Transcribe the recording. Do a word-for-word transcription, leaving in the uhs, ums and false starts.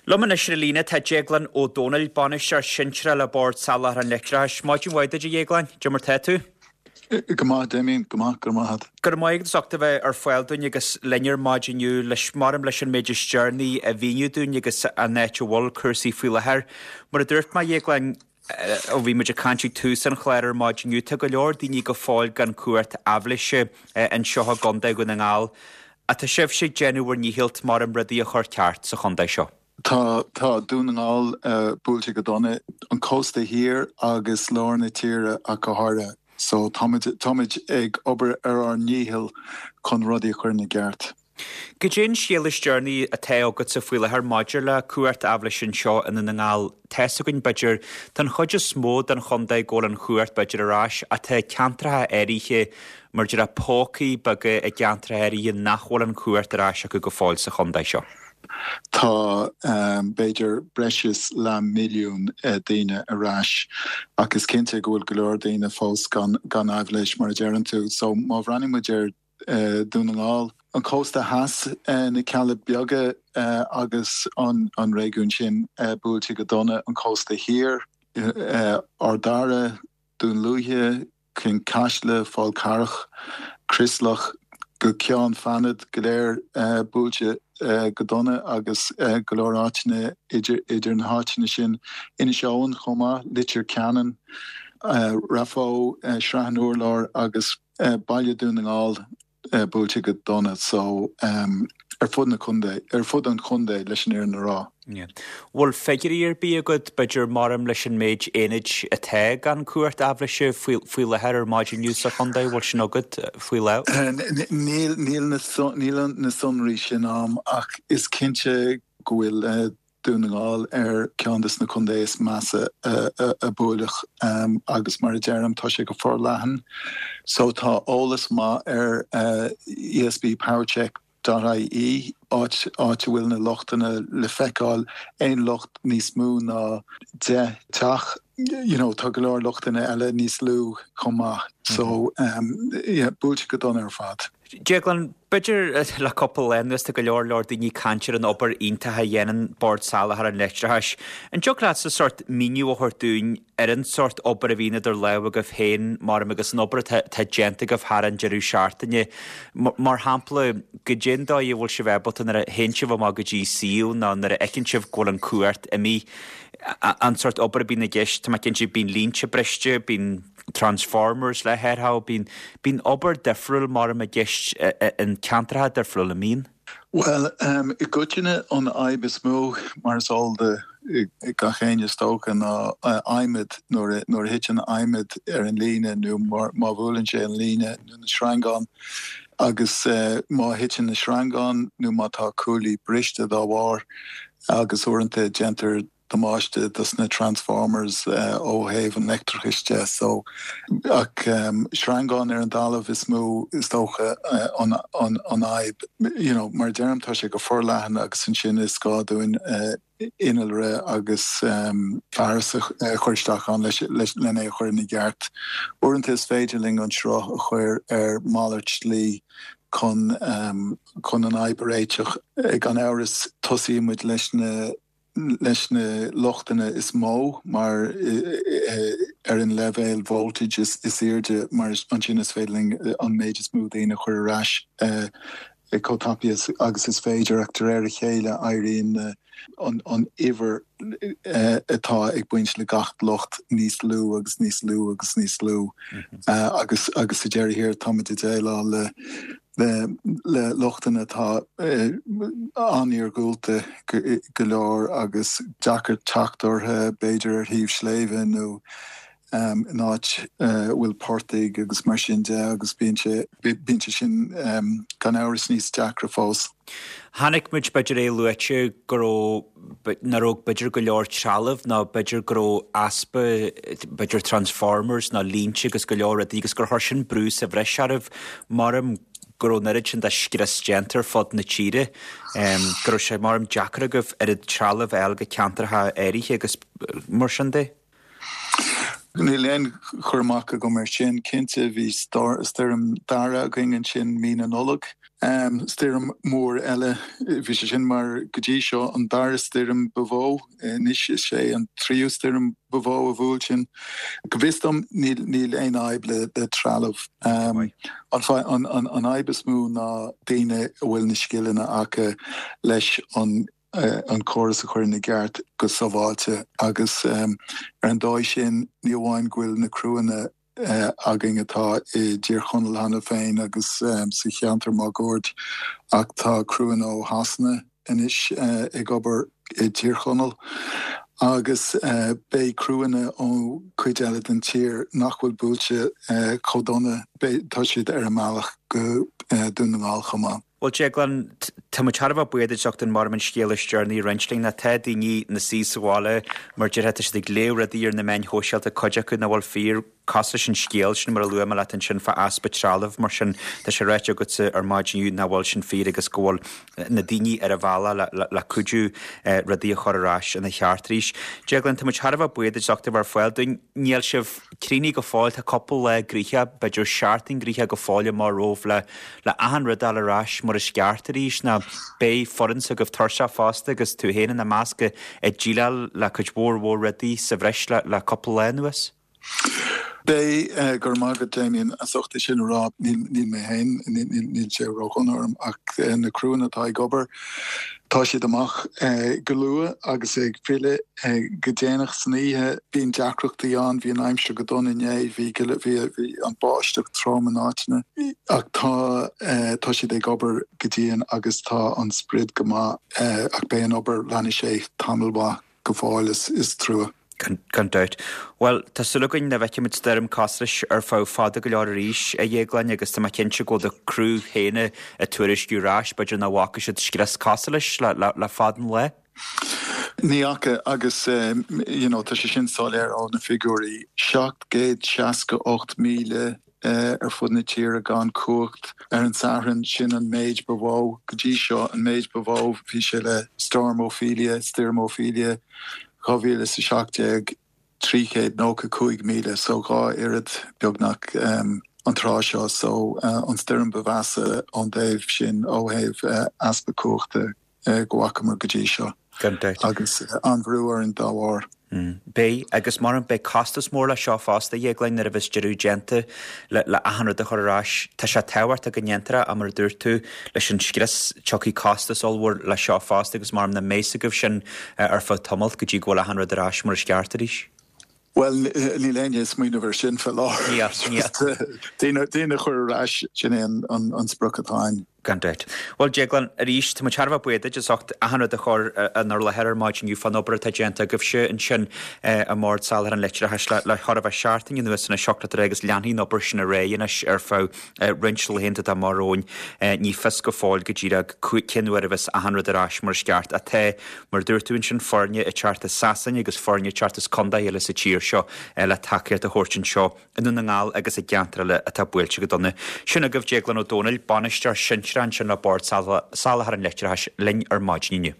Liom anois ar an líne tá Déaglán Ó Dónaill, bainisteoir sinsearach le Bord Soláthair an Leictreachais. Maidin mhaith duit, a Dhéagláin, cad é mar tá tú? Go maith, Damien, go maith, go maith. Go raibh maith agat as ucht a bheith ar fáil dúinn agus linn ar maidin inniu leis maram leis an méid is deireanaí a mhíniú dúinn agus an áit a bhfuil cúrsaí faoi láthair. Mar a dúirt mé, a Dhéagláin, ó bhí muid ag caint ag tús an chláir ar maidin inniu, tá go leor daoine go fóill gan cumhacht aibhléise anseo i gContae Dhún na nGall. Tá sibhse ag déanamh bhur ndícheall maram rudaí a chur ceart sa chontae seo. Tá tá Dún na nGall uh, buailte go dona, an cósta thiar agus lár na tíre ach go háirithe. So táimid táimid ag obair ar ár ndícheall chun rudaí a chur ina gceart. Cad é an scéal is deireanaí atá agatsa faoi láthair maidir le cumhacht aibhléise anseo i nDún na nGall. Tá fhios againn b'fhéidir tá an chuid is mó den chontae go bhfuil an chumhacht b'fhéidir ar ais atá ceantracha áirithe mar deir pócaí beaga i gceantracha áirithe nach bhfuil an chumhacht ar ais acu go fóill sa chontae seo. Tá um, b'fhéidir breis is leath milliún uh, daoine ar ais ach is cinnte go bhfuil go leor daoine fós gan gan aibhléis mar a deireann tú. So má bhreathnaíonn muid ar uh, Dún na nGall, an cósta theas uh, na Cealla Beaga uh, agus an, an réigiún sin uh, buailte go dona an cósta thiar, uh, Ard Dara, Dún Lúiche, Cionn Caisle, Fál Carrach, Crosleach, go Ceann Fánad go léir uh, buailte uh, go dona agus uh, go leor áiteanna idir, idir na háiteanna sin Inis Eoghain chomh maith, Leitir Ceanainn, uh, Raphoe, uh, Srath an Urláir agus uh, Baile Dún na nGall uh, buailte go dona so um, ar fud na contae ar fud an chontae leis an fhírinne a rá. Yeah. Bhfuil figiúirí ar bith agat b'fhéidir maram leis an méid aonaid atá gan cumhacht aibhléise faoi faoi láthair ar maidin inniu sa chontae bhfuil sin agat faoi le? Níl níl na níl na sonraí sin agam ach is cinnte go bhfuil uh, Dún na nGall ar ceann des na contaetha is measa a buaileadh um, agus mar a deirim tá sé go forleathan. So tá eolas maith ar uh, ESB Powercheck .ie áit áit a bhfuil na lochtanna le feiceáil aon locht níos mó ná deich teach you know, tá go leor lochtanna eile níos lú chomh maith so um, yeah, buailte go dona ar fad. Déaglan b'fhéidir le cúpla lá anuas tá go leor leor daoine ag caint ar an obair iontach a dhéanann Bord Soláthair an Leictreachais. An dtiocfadh leat sa sort míniú a thabhairt dúinn ar an sort obair a bhíonn idir lámha agaibh féin mar agus an obair tá déanta agaibh thar an deireadh seachtaine. Mar shampla cad é an dóigh a bhfuil sibh ábalta nuair a théann sibh amach go dtí suíomh nó nuair a fheiceann sibh go bhfuil an chumhacht imithe an sort obair a bhíonn i gceist tá cinnte bíonn línte briste, bíonn transformers le hathrú bíonn bíonn obair difriúil mar i gceist in ceantracha difriúla an mbíonn. Well um, i gcoitinne an fhadhb is mó mar is eol do gach éinne is dócha ná adhmad nuair nuair a thiteann adhmad ar an líne nó má bhuaileann sé an líne nó na sreangáin agus uh, má thiteann na sreangáin nó má tá cuaillí briste dá bharr agus uaireanta déantar damáiste dos na transformers uh, ó thaobh an leictreachais de so ach um, sreangán ar an talamh is mó is dócha uh, an, an, an fhadhb you know, mar deirim tá sé go forleathan agus ansin is gá dúinn uh, innealra agus um, fearas a chur isteach ann leis leis lena chur ina gceart. Uaireanta is féidir linn an sruth a chur ar malairt slí chun um, chun an fhadhb a réiteach gan amhras tosaímid leis na leis na lochtanna is mó mar ar an leibhéal voltage is is airde mar ansin is féidir linn an méid is mó daoine a chur ar ais uh, chomh tapaidh agus is féidir ach de réir a chéile éiríonn an an uimhir uh, atá ag baint le gach locht níos lú agus níos lú agus níos lú mm -hmm. uh, agus agus sa deireadh thiar táimid ag déileáil le le le lochtanna atá uh, an-iargúlta go, go leor agus deacair teacht orthu b'fhéidir ar thaobh sléibhe nó um, in áit uh, bhfuil portaigh agus mar sin de agus bíonn sé bíonn sé sin um, gan amhras níos deacra fós. Chonaic muid b'fhéidir é luaite go raibh nach raibh b'fhéidir go leor trealamh ná b'fhéidir go raibh easpa b'fhéidir transformers ná línte agus go leor rudaí agus gur chuir sin brú sa bhreis oraibh maram go raibh an oiread sin de scrios déanta ar fud na tíre um, go raibh sé maram deacair agaibh ar an trealamh a fháil go ceantracha áirithe agus mar sin de. Níl aon chur amach agam ar sin cinnte bhí stoirm Dara againn ansin mí na Nollag. Stoirm mór eile bhí sé sin mar go dtí seo an dara stoirm ba mhó anois is é an tríú stoirm ba mhó a bhuail sinn. Go bhfios dom níl níl aon fhadhb le le trealamh. Um, an an an an fhadhb is mó ná daoine a bhfuil na scileanna acu leis an uh, an córas a chur ina gceart go sábháilte agus um, ar an dóigh sin ní amháin go bhfuil na criúnna uh, againn atá i dTír Chonaill cheana féin agus um, sa cheantar máguaird ach tá criúnna ó Shasana anois uh, ag obair i dTír Chonaill. agus uh, beidh criúnna ó chuid eile den tír nach bhfuil buailte uh, chomh dona tá siad ar a mbealach go uh, Dún na nGall chomh maith. Well Declan tá muid thar a bheith buíoch duit as ucht an mar an scéal is deireanaí a roinnt linn na tá daoine ina suí sa bhaile mar déarfá tá siad ag léamh rudaí ar na meáin shóisialta cuid acu nach bhfuil fíor cosúil leis an scéal sin mar a luaigh mé leat ansin fá easpa trealamh mar sin tá sé ráite agatsa ar maidin nach bhfuil sin fíor agus go bhfuil na daoine ar a bhealach le, le, le cuidiú eh, rudaí a chur ar ais ina cheart arís. Declan tá muid thar a bheith buíoch duit as ucht a bheith ar fáil dúinn níl sibh críochnaithe go fóill tá cúpla lá gnoitheach b'fhéidir seachtain gnoitheach go fóill mar romhaibh le le achan rud ar ais mar is ceart arís ná beidh foireann s'agaibh tuirseach fosta agus tú féin ina measc ag déileáil le cuid mhór mhór rudaí sa bhreis le, le cúpla lá anuas. Beidh uh, go maith agat Damien as ucht sin rá níl mé féin níl sé ródhona orm ach uh, na criúnna atá ag obair. Tá siad amach uh, go luath agus ag filleadh uh, go déanach san oíche bíonn deacrachtaí ann bhí an aimsir go dona inné bhí bhí bhí an báisteach trom in áiteanna ach tá uh, tá siad ag obair go dian agus tá an sprid go maith uh, ach beidh an obair leanfaidh sé tamall maith go fóill is, is trua. Gan dabht. Well tá súil againn nach bhfeicfimid stoirm cosúil leis ar feadh fada go leor arís a Dhéagláin agus tá mé cinnte go bhfuil do chriú féin ag tuairisciú ar ais, b'fhéidir nach bhfaca siad scrios cosúil leis le, le, le fada an lá. Ní fhaca agus um, you know, tá sé sin soiléir ó na figiúirí seacht gcéad seasca ocht míle uh, ar fud na tíre gan cumhacht ar an Satharn sin an méid ba mhó go dtí seo an méid ba mhó bhí sé le Storm Ophelia, Storm Ophelia dhá mhíle is a seacht déag trí chéad nócha cúig míle so dhá oiread beagnach um, an tráth seo so uh, an stoirm ba mheasa ón dtaobh sin ó thaobh uh, easpa cumhachta uh, go bhfacamar go dtí seo. agus uh, an-bhrú orainn dá bharr. Mm. Beidh agus mar an beidh costas mór le seo fosta Dhéagláin nuair a bheas deireadh déanta le le achan rud a chur ar ais Tá sé tábhachtach go ndéantar é mar a dúirt tú leis an scrios tiocfaidh costas ollmhór le seo fosta agus mar na méige sin eh, ar feadh tamaill go dtí go bhfuil achan rud ar ais mar is ceart arís. Well níl éinne ag smaoineamh air sin faoi láthair daoine chur ar ais sin é an an sprioc atá againn. Gan dabht. Well Declan arís tá muid thar a bheith buíoch duit as ucht achan rud a chur inár láthair ar maidin inniu fán obair atá déanta agaibhse ansin i mBord Soláthair an Leictreachais le le chor a bheith seachtain anuas ina seachtain agus leanfaidh an obair sin ar aghaidh anois ar feadh roinnt laethanta atá amach romhainn ní fios go fóill go díreach cén uair a bheas achan rud ar ais mar is ceart atá mar dúirt tú ansin foirne ag teacht as Sasain agus foirne ag teacht as contaetha eile sa tír seo le tacaíocht a thabhairt anseo i nDún na nGall agus i gceantair eile atá buailte go dona. Sin agaibh Déaglan Ó Dónaill, bainisteoir sinsearach ansin le Bord Soláthair an Leictreachais linn ar maidin inniu.